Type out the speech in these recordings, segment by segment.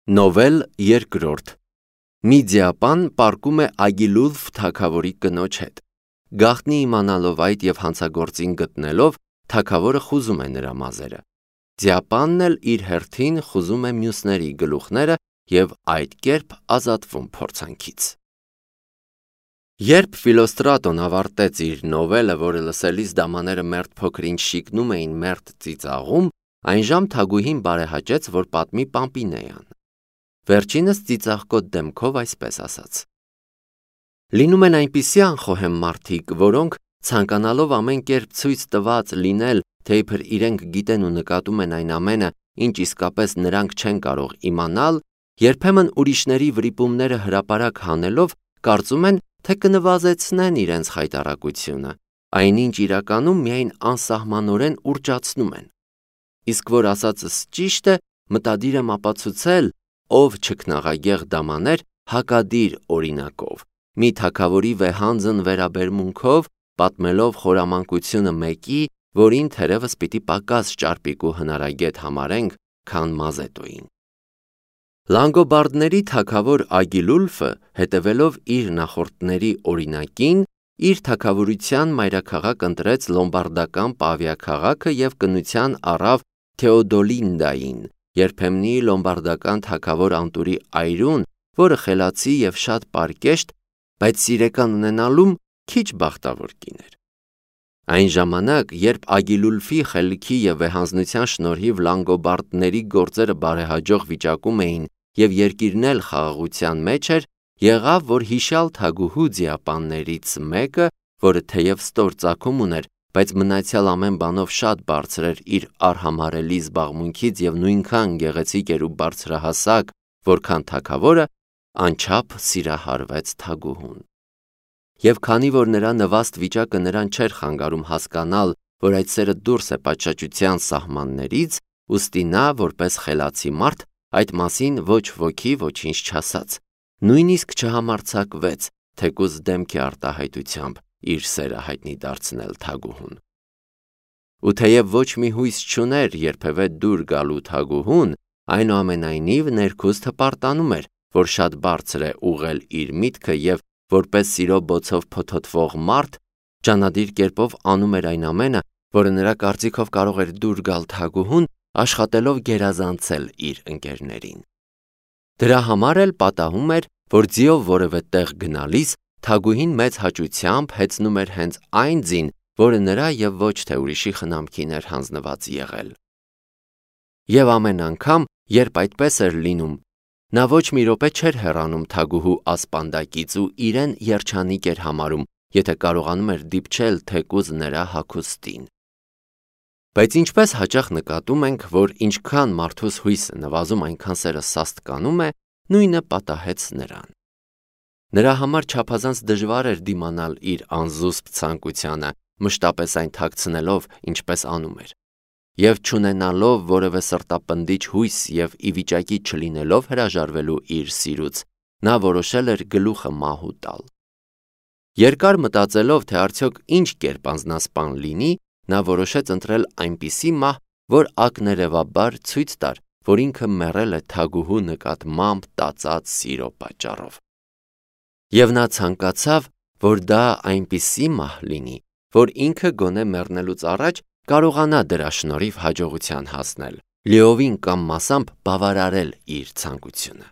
Նովել երկրորդ Մի ձիապան պառկում է Ագիլուլֆ թագավորի կնոջ հետ։ Գաղտնի իմանալով այդ և հանցագործին գտնելով, թագավորը խուզում է նրա մազերը։ Ձիապանն էլ իր հերթին խուզում է մյուսների գլուխները և այդ կերպ ազատվում փորձանքից։ Երբ Ֆիլոստրատոն ավարտեց իր նովելը, որը լսելիս դամաները մերթ փոքրինչ շիկնում էին մերթ ծիծաղում, այնժամ թագուհին բարեհաճեց, որ պատմի Պամպինեան։ Վերջինս ծիծաղկոտ դեմքով այսպես ասաց. Լինում են այնպիսի անխոհեմ մարդիկ, որոնք ցանկանալով ամեն կերպ ցույց տված լինել, թե իբր իրենք գիտեն ու նկատում են այն ամենը, ինչ իսկապես նրանք չեն կարող իմանալ, երբեմն ուրիշների վրիպումները հրապարակ հանելով, կարծում են, թե կնվազեցնեն իրենց խայտառակությունը, այնինչ իրականում միայն անսահմանորեն ուռճացնում են։ Իսկ որ ասածս ճիշտ է, մտադիր եմ ապացուցել, ով չքնաղագեղ դամաներ հակադիր օրինակով, մի թագավորի վեհանձն վերաբերմունքով, պատմելով խորամանկությունը մեկի, որին թերևս պիտի պակաս ճարպիկ ու հնարագետ համարենք, քան Մազետոյին։ Լանգոբարդների թագավոր Ագիլուլֆը, հետևելով իր նախորդների օրինակին, իր թագավորության մայրաքաղաք ընտրեց լոմբարդական Պավիա քաղաքը և կնության առավ Թեոդոլինդային, երբեմնի լոմբարդական թագավոր Անտուրի այրուն, որը խելացի և շատ պարկեշտ, բայց սիրեկան ունենալում քիչ բախտավոր կին էր։ Այն ժամանակ, երբ Ագիլուլֆի խելքի և վեհանձնության շնորհիվ լանգոբարդների գործերը բարեհաջող վիճակում էին և երկիրն էլ խաղաղության մեջ էր, եղավ, որ հիշյալ թագուհու ձիապաններից մեկը, որը թեև ստոր ծագում ուներ, բայց մնացյալ ամեն բանով շատ բարձր էր իր արհամարհելի զբաղմունքից և նույնքան գեղեցիկ էր ու բարձրահասակ, որքան թագավորը, անչափ սիրահարվեց թագուհուն։ Եվ քանի որ նրա նվաստ վիճակը նրան չէր խանգարում հասկանալ, որ այդ սերը դուրս է պատշաճության սահմաններից, ուստի նա, որպես խելացի մարդ, այդ մասին ոչ ոքի ոչինչ չասաց, նույնիսկ չհամարձակվեց, թեկուզ դեմքի արտահայտությամբ իր սերը հայտնի դարձնել թագուհուն։ Ու թեև ոչ մի հույս չուներ երբևէ դուր գալու թագուհուն, այնուամենայնիվ ներքուստ հպարտանում էր, որ շատ բարձր է ուղղել իր միտքը և որպես սիրո բոցով փոթոթվող մարդ, ջանադիր կերպով անում էր այն ամենը, որը նրա կարծիքով կարող էր դուր գալ թագուհուն, աշխատելով գերազանցել իր ընկերներին։ Դրա համար էլ պատահում էր, որ ձիով որևէ տեղ գնալիս, թագուհին մեծ հաճությամբ հեծնում էր հենց այն ձին, որը նրա և ոչ թե ուրիշի խնամքին էր հանձնված եղել։ Եվ ամեն անգամ, երբ այդպես էր լինում, նա ոչ մի րոպե չէր հեռանում թագուհու ասպանդակից ու իրեն երջանիկ էր համարում, եթե կարողանում էր դիպչել թեկուզ նրա հագուստին։ Բայց ինչպես հաճախ նկատում ենք, որ ինչքան մարդուս հույսը նվազում, այնքան սերը սաստկանում է, նույնը պատահեց նրան։ Նրա համար չափազանց դժվար էր դիմանալ իր անզուսպ ցանկությանը, մշտապես այն թաքցնելով, ինչպես անում էր։ Եվ չունենալով որևէ սրտապնդիչ հույս և ի վիճակի չլինելով հրաժարվելու իր սիրուց, նա որոշել էր գլուխը մահու տալ։ Երկար մտածելով, թե արդյոք ինչ կերպ անձնասպան լինի, նա որոշեց ընտրել այնպիսի մահ, որ ակներևաբար ցույց տար, որ ինքը մեռել է թագուհու նկատմամբ տածած սիրո պատճառով։ Եվ նա ցանկացավ, որ դա այնպիսի մահ լինի, որ ինքը գոնե մեռնելուց առաջ կարողանա դրա շնորհիվ հաջողության հասնել, լիովին կամ մասամբ բավարարել իր ցանկությունը։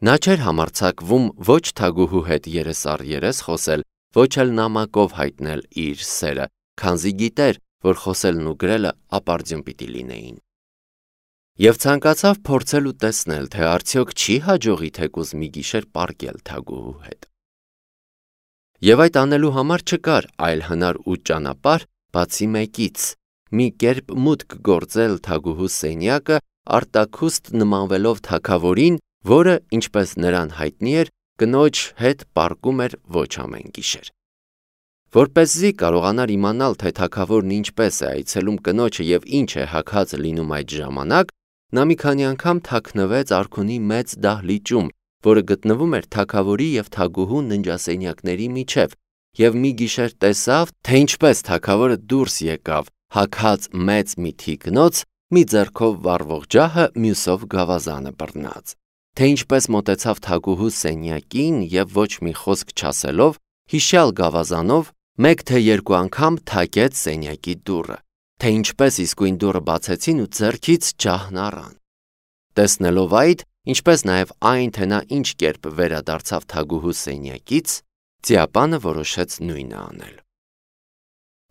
Նա չէր համարձակվում ոչ թագուհու հետ երես առ երես խոսել, ոչ էլ նամակով հայտնել իր սերը, քանզի գիտեր, որ խոսելն ու գրելը ապարդյուն պիտի լինեին։ Եվ ցանկացավ փորձել ու տեսնել, թե արդյոք չի հաջողի թեկուզ մի գիշեր պառկել թագուհու հետ։ Եվ այդ անելու համար չկար այլ հնար ու ճանապարհ, բացի մեկից՝ մի կերպ մուտք գործել թագուհու սենյակը, արտաքուստ նմանվելով թագավորին, որը, ինչպես նրան հայտնի էր, կնոջ հետ պառկում էր ոչ ամեն գիշեր։ Որպեսզի կարողանար իմանալ, թե թագավորն ինչպես է այցելում կնոջը և ինչ է հագած լինում այդ ժամանակ, նա մի քանի անգամ թաքնվեց արքունի մեծ դահլիճում, որը գտնվում էր թագավորի և թագուհու ննջասենյակների միջև, և մի գիշեր տեսավ, թե ինչպես թագավորը դուրս եկավ հագած մեծ մի թիկնոց մի ձեռքով վառվող ջահը, մյուսով գավազանը բռնած, թե ինչպես մոտեցավ Թագուհու սենյակին և ոչ մի խոսք չասելով, հիշյալ գավազանով մեկ թե երկու անգամ թակեց սենյակի դուռը, թե ինչպես իսկույն դուռը բացեցին ու ձեռքից ջահն առան։ Տեսնելով այդ, ինչպես նաև այն, թե նա ինչ կերպ վերադարձավ Թագուհու սենյակից, Ձիապանը որոշեց նույնը անել։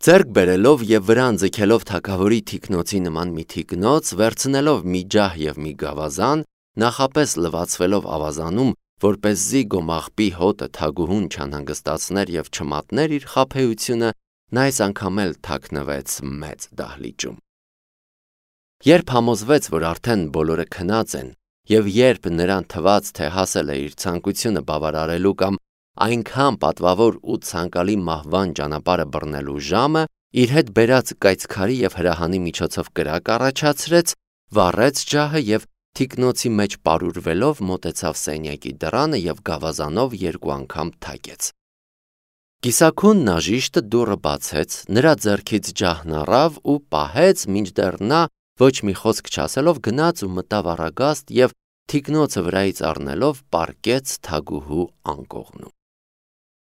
Ձեռք բերելով և վրան ձգելով թագավորի թիկնոցի նման մի թիկնոց, վերցնելով մի ջահ և մի գավազան, նախապես լվացվելով ավազանում, որպեսզի գոմաղբի հոտը Թագուհուն չանհանգստացներ և չմատներ իր խաբեությունը, նա այս անգամ էլ թաքնվեց մեծ դահլիճում։ Երբ համոզվեց, որ արդեն բոլորը քնած են, և երբ նրան թվաց, թե հասել է իր ցանկությունը բավարարելու կամ այնքան պատվավոր ու ցանկալի մահվան ճանապարհը բռնելու ժամը, իր հետ բերած կայծքարի և հրահանի միջոցով կրակ առաջացրեց, վառեց ջահը և թիկնոցի մեջ պարուրվելով մոտեցավ սենյակի դռանը և գավազանով երկու անգամ թակեց։ Կիսաքուն նաժիշտը դուռը բացեց, նրա ձեռքից ջահն առավ ու պահեց, մինչդեռ նա ոչ մի խոսք չասելով գնաց ու մտավ առագաստ և թիկնոցը վրայից առնելով պառկեց Թագուհու անկողնում։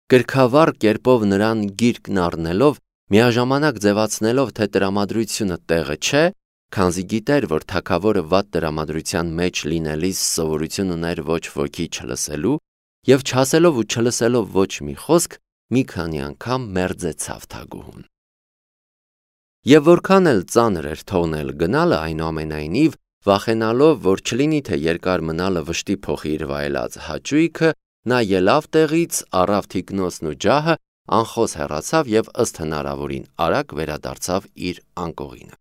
Կրքավառ կերպով նրան գիրկն առնելով, միաժամանակ ձևացնելով, թե տրամադրությունը տեղը չէ, քանզի գիտեր, որ թագավորը վատ տրամադրության մեջ լինելիս սովորություն ուներ ոչ ոքի չլսելու, և չասելով ու չլսելով ոչ մի խոսք, մի քանի անգամ մերձեցավ Թագուհուն։ Եվ որքան էլ ծանր էր թողնել գնալը, այնուամենայնիվ, վախենալով, որ չլինի թե երկար մնալը վշտի փոխի իր վայելած հաճույքը, նա ելավ տեղից, առավ թիկնոցն ու ջահը, անխոս հեռացավ և ըստ հնարավորին արագ վերադարձավ իր անկողինը։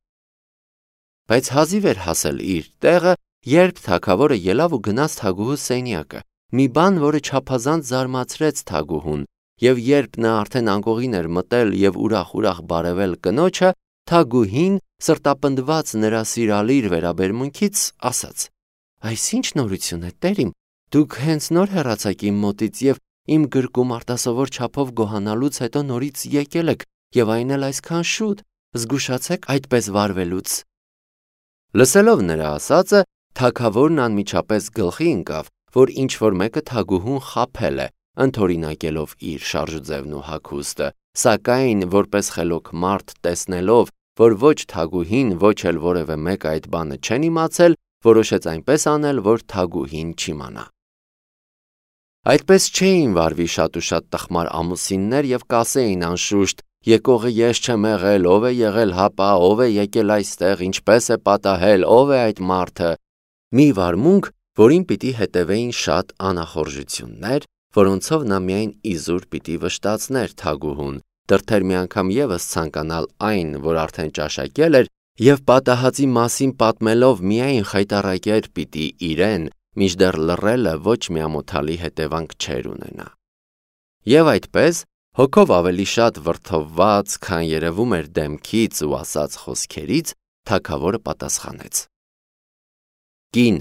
Բայց հազիվ էր հասել իր տեղը, երբ թագավորը ելավ ու գնաց Թագուհու սենյակը, մի բան, որը չափազանց զարմացրեց Թագուհուն, և երբ նա արդեն անկողին էր մտել և ուրախ-ուրախ բարևել կնոջը, Թագուհին, սրտապնդված նրա սիրալիր վերաբերմունքից, ասաց. «Այս ի՞նչ նորություն է, տերիմ, դուք հենց նոր հեռացաք իմ մոտից և իմ գրկում արտասովոր չափով գոհանալուց հետո նորից եկել եք և այն էլ այսքան շուտ, զգուշացեք այդպես վարվելուց»։ Լսելով նրա ասածը, թագավորն անմիջապես գլխի ընկավ, որ ինչ-որ մեկը Թագուհուն խաբել է, ընդօրինակելով իր շարժուձևն ու հագուստը, սակայն, որպես խելոք մարդ տեսնելով, որ ոչ Թագուհին, ոչ էլ որևէ մեկ այդ բանը չեն իմացել, որոշեց այնպես անել, որ Թագուհին չիմանա։ Այդպես չէին վարվի շատ ու շատ տխմար ամուսիններ և կասեին անշուշտ. «Եկողը ես չեմ եղել, ով է եղել հապա, ով է եկել այստեղ, ինչպես է պատահել, ով է այդ մարդը»։ Մի վարմունք, որին պիտի հետևեին շատ անախորժություններ, որոնցով նա միայն իզուր պիտի վշտացներ Թագուհուն, դրդեր մի անգամ ևս ցանկանալ այն, որ արդեն ճաշակել էր, և պատահածի մասին պատմելով միայն խայտառակեր պիտի իրեն, մինչդեռ լռելը ոչ մի ամոթալի հետևանք չէր ունենա։ Եվ այդպես, հոգով ավելի շատ վրդովված, քան երևում էր դեմքից ու ասած խոսքերից, թագավորը պատասխանեց. «Կին,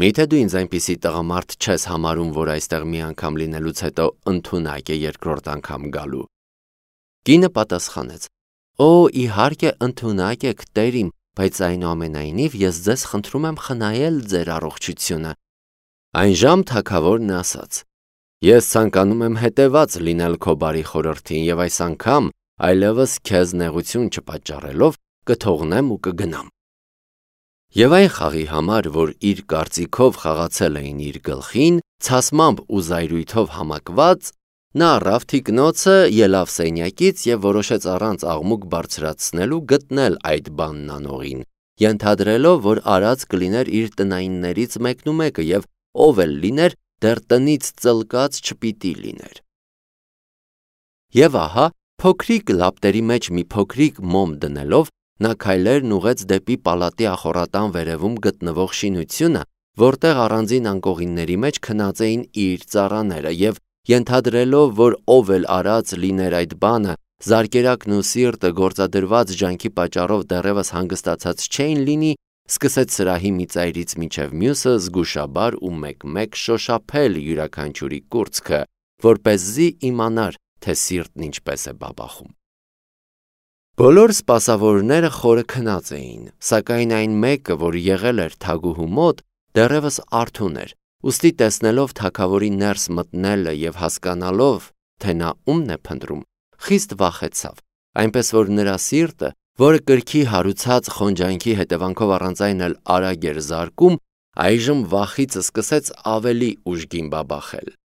միթե դու ինձ այնպիսի տղամարդ չես համարում, որ այստեղ մի անգամ լինելուց հետո ընդունակ է երկրորդ անգամ գալու»։ Կինը պատասխանեց. «Օ, իհարկե ընդունակ եք, տերիմ, բայց այնուամենայնիվ ես ձեզ խնդրում եմ խնայել ձեր առողջությունը»։ Այնժամ թագավորն ասաց. «Ես ցանկանում եմ հետևած լինել քո բարի խորհրդին և այս անգամ, այլևս քեզ նեղություն չպատճառելով, կթողնեմ ու կգնամ»։ Եվ այն խաղի համար, որ իր կարծիքով խաղացել էին իր գլխին, ցասմամբ ու զայրույթով համակված, նա առավ թիկնոցը, ելավ սենյակից և որոշեց առանց աղմուկ բարձրացնելու գտնել այդ բանն անողին, ենթադրելով, որ արած կլիներ իր տնայիններից մեկնումեկը և ով էլ լիներ, դեռ տնից ծլկած չպիտի լիներ։ Եվ ահա, փոքրիկ լապտերի մեջ մի փոքրիկ մոմ դնելով, նա քայլերն ուղղեց դեպի պալատի ախորատան վերևում գտնվող շինությունը, որտեղ առանձին անկողինների մեջ քնած էին իր ծառաները, և ենթադրելով, որ ով էլ արած լիներ այդ բանը, զարկերակն ու սիրտը գործադրված ջանքի պատճառով դեռևս հանգստացած չէին լինի, սկսեց սրահի մի ծայրից մինչև մյուսը զգուշաբար ու մեկ-մեկ շոշափել յուրաքանչյուրի կուրծքը, որպեսզի իմանար, թե սիրտն ինչպես է բաբախում։ Բոլոր սպասավորները խորը քնած էին, սակայն այն մեկը, որ եղել էր թագուհու մոտ, դեռևս արթուն էր, ուստի տեսնելով թագավորի ներս մտնելը և հասկանալով, թե նա ումն է փնտրում, խիստ վախեցավ, այնպես որ նրա սիրտը, որը կրքի հարուցած խոնջանքի հետևանքով առանց այն էլ արագ էր զարկում, այժմ վախից սկսեց ավելի ուժգին բաբախել։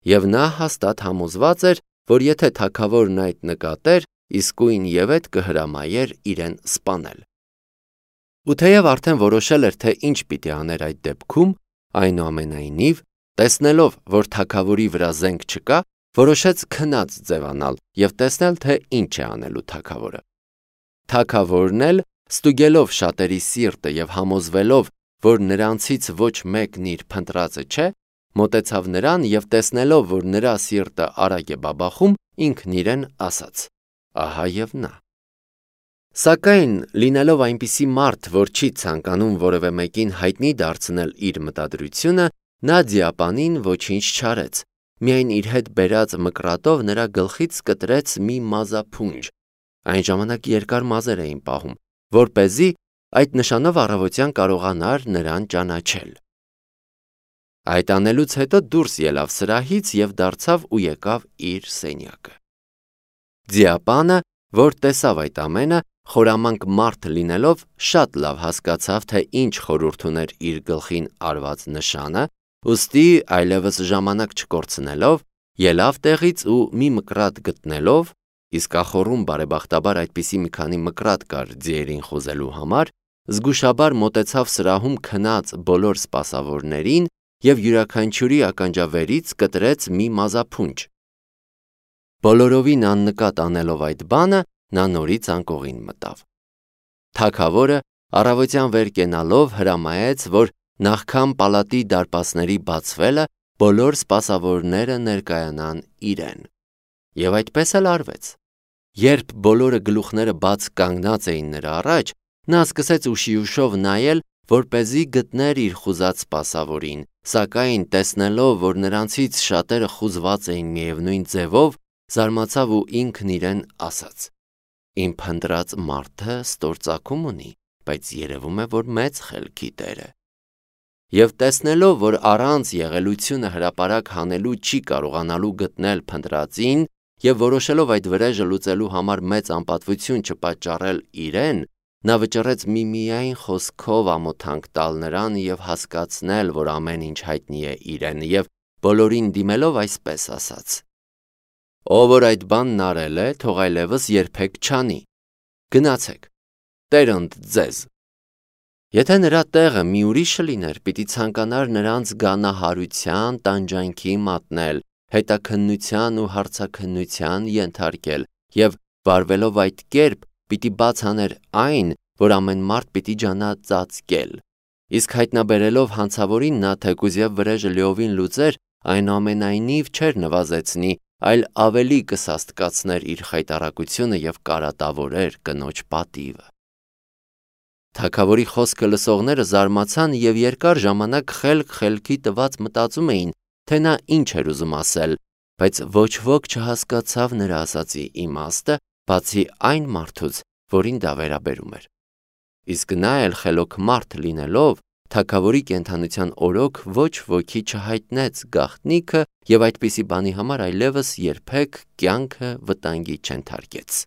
Եվ նա հաստատ համոզված էր, որ եթե թագավորն այդ նկատեր, իսկույն ևեթ կհրամայեր իրեն սպանել։ Ու թեև արդեն որոշել էր, թե ինչ պիտի աներ այդ դեպքում, այնուամենայնիվ, տեսնելով, որ թագավորի վրա զենք չկա, որոշեց քնած ձևանալ և տեսնել, թե ինչ է անելու թագավորը։ Թագավորն էլ, ստուգելով շատերի սիրտը և համոզվելով, որ նրանցից ոչ մեկն իր փնտրածը չէ, մոտեցավ նրան և տեսնելով, որ նրա սիրտը արագ է բաբախում, ինքն իրեն ասաց. «Ահա և նա»։ Սակայն, լինելով այնպիսի մարդ, որ չի ցանկանում որևէ մեկին հայտնի դարձնել իր մտադրությունը, նա ձիապանին ոչինչ չարեց, միայն իր հետ բերած մկրատով նրա գլխից կտրեց մի մազափունջ, այն ժամանակ երկար մազեր էին պահում, որպեսզի այդ նշանով առավոտյան կարողանար նրան ճանաչել։ Այդ անելուց հետո դուրս ելավ սրահից և դարձավ ու եկավ իր սենյակը։ Ձիապանը, որ տեսավ այդ ամենը, խորամանկ մարդ լինելով, շատ լավ հասկացավ, թե ինչ խորհուրդ ուներ իր գլխին արված նշանը, ուստի այլևս ժամանակ չկորցնելով, ելավ տեղից ու մի մկրատ գտնելով, իսկ ախոռում բարեբախտաբար այդպիսի մի քանի մկրատ կար ձիերին խոզելու համար, զգուշաբար մոտեցավ սրահում քնած բոլոր սպասավորներին և յուրաքանչյուրի ականջավերից կտրեց մի մազափունջ։ Բոլորովին աննկատ անելով այդ բանը, նա նորից անկողին մտավ։ Թագավորը առավոտյան վեր կենալով հրամայեց, որ նախքան պալատի դարպասների բացվելը բոլոր սպասավորները ներկայանան իրեն։ Եվ այդպես էլ արվեց։ Երբ բոլորը գլուխները բաց կանգնած էին նրա առաջ, նա սկսեց ուշիուշով նայել, որպեսզի գտներ իր խուզած սպասավորին, սակայն տեսնելով, որ նրանցից շատերը խուզված էին միևնույն ձևով, զարմացավ ու ինքն իրեն ասաց. «Իմ փնտրած մարդը ստործակում ունի, բայց երևում է, որ մեծ խելքի տեր է»։ Եվ տեսնելով, որ առանց եղելությունը հրապարակ հանելու չի կարողանալու գտնել փնտրածին, և որոշելով այդ վրեժը լուծելու համար մեծ անպատվություն չպատճառել իրեն, նա վճռեց միմիայն խոսքով ամոթանք տալ նրան և հասկացնել, որ ամեն ինչ հայտնի է իրեն, և բոլորին դիմելով այսպես ասաց. «Ով որ այդ բանն արել է, թող այլևս երբեք չանի։ Գնացեք, Տեր ընդ ձեզ»։ Եթե նրա տեղը մի ուրիշը լիներ, պիտի ցանկանար նրանց գանահարության տանջանքի մատնել, հետաքննության ու հարցաքննության ենթարկել և վարվելով այդ կերպ, պիտի բաց աներ այն, որ ամեն մարդ պիտի ջանա ծածկել։ Իսկ հայտնաբերելով հանցավորին, նա թեկուզև վրեժը լիովին լուծեր, այնուամենայնիվ չէր նվազեցնի, այլ ավելի կսաստկացներ իր խայտառակությունը և կարատավորեր կնոջ պատիվը։ Թագավորի խոսքը լսողները զարմացան և երկար ժամանակ խելքի տված մտածում էին, թե նա ինչ էր ուզում ասել, բայց ոչ ոք չհասկացավ նրա ասածի իմաստը, բացի այն մարդուց, որին դա վերաբերում էր։ Իսկ նա էլ խելոք մարդ լինելով, թագավորի կենդանության օրոք ոչ ոքի չհայտնեց գաղտնիքը և այդպիսի բանի համար այլևս երբեք կյանքը վտանգի չենթարկեց։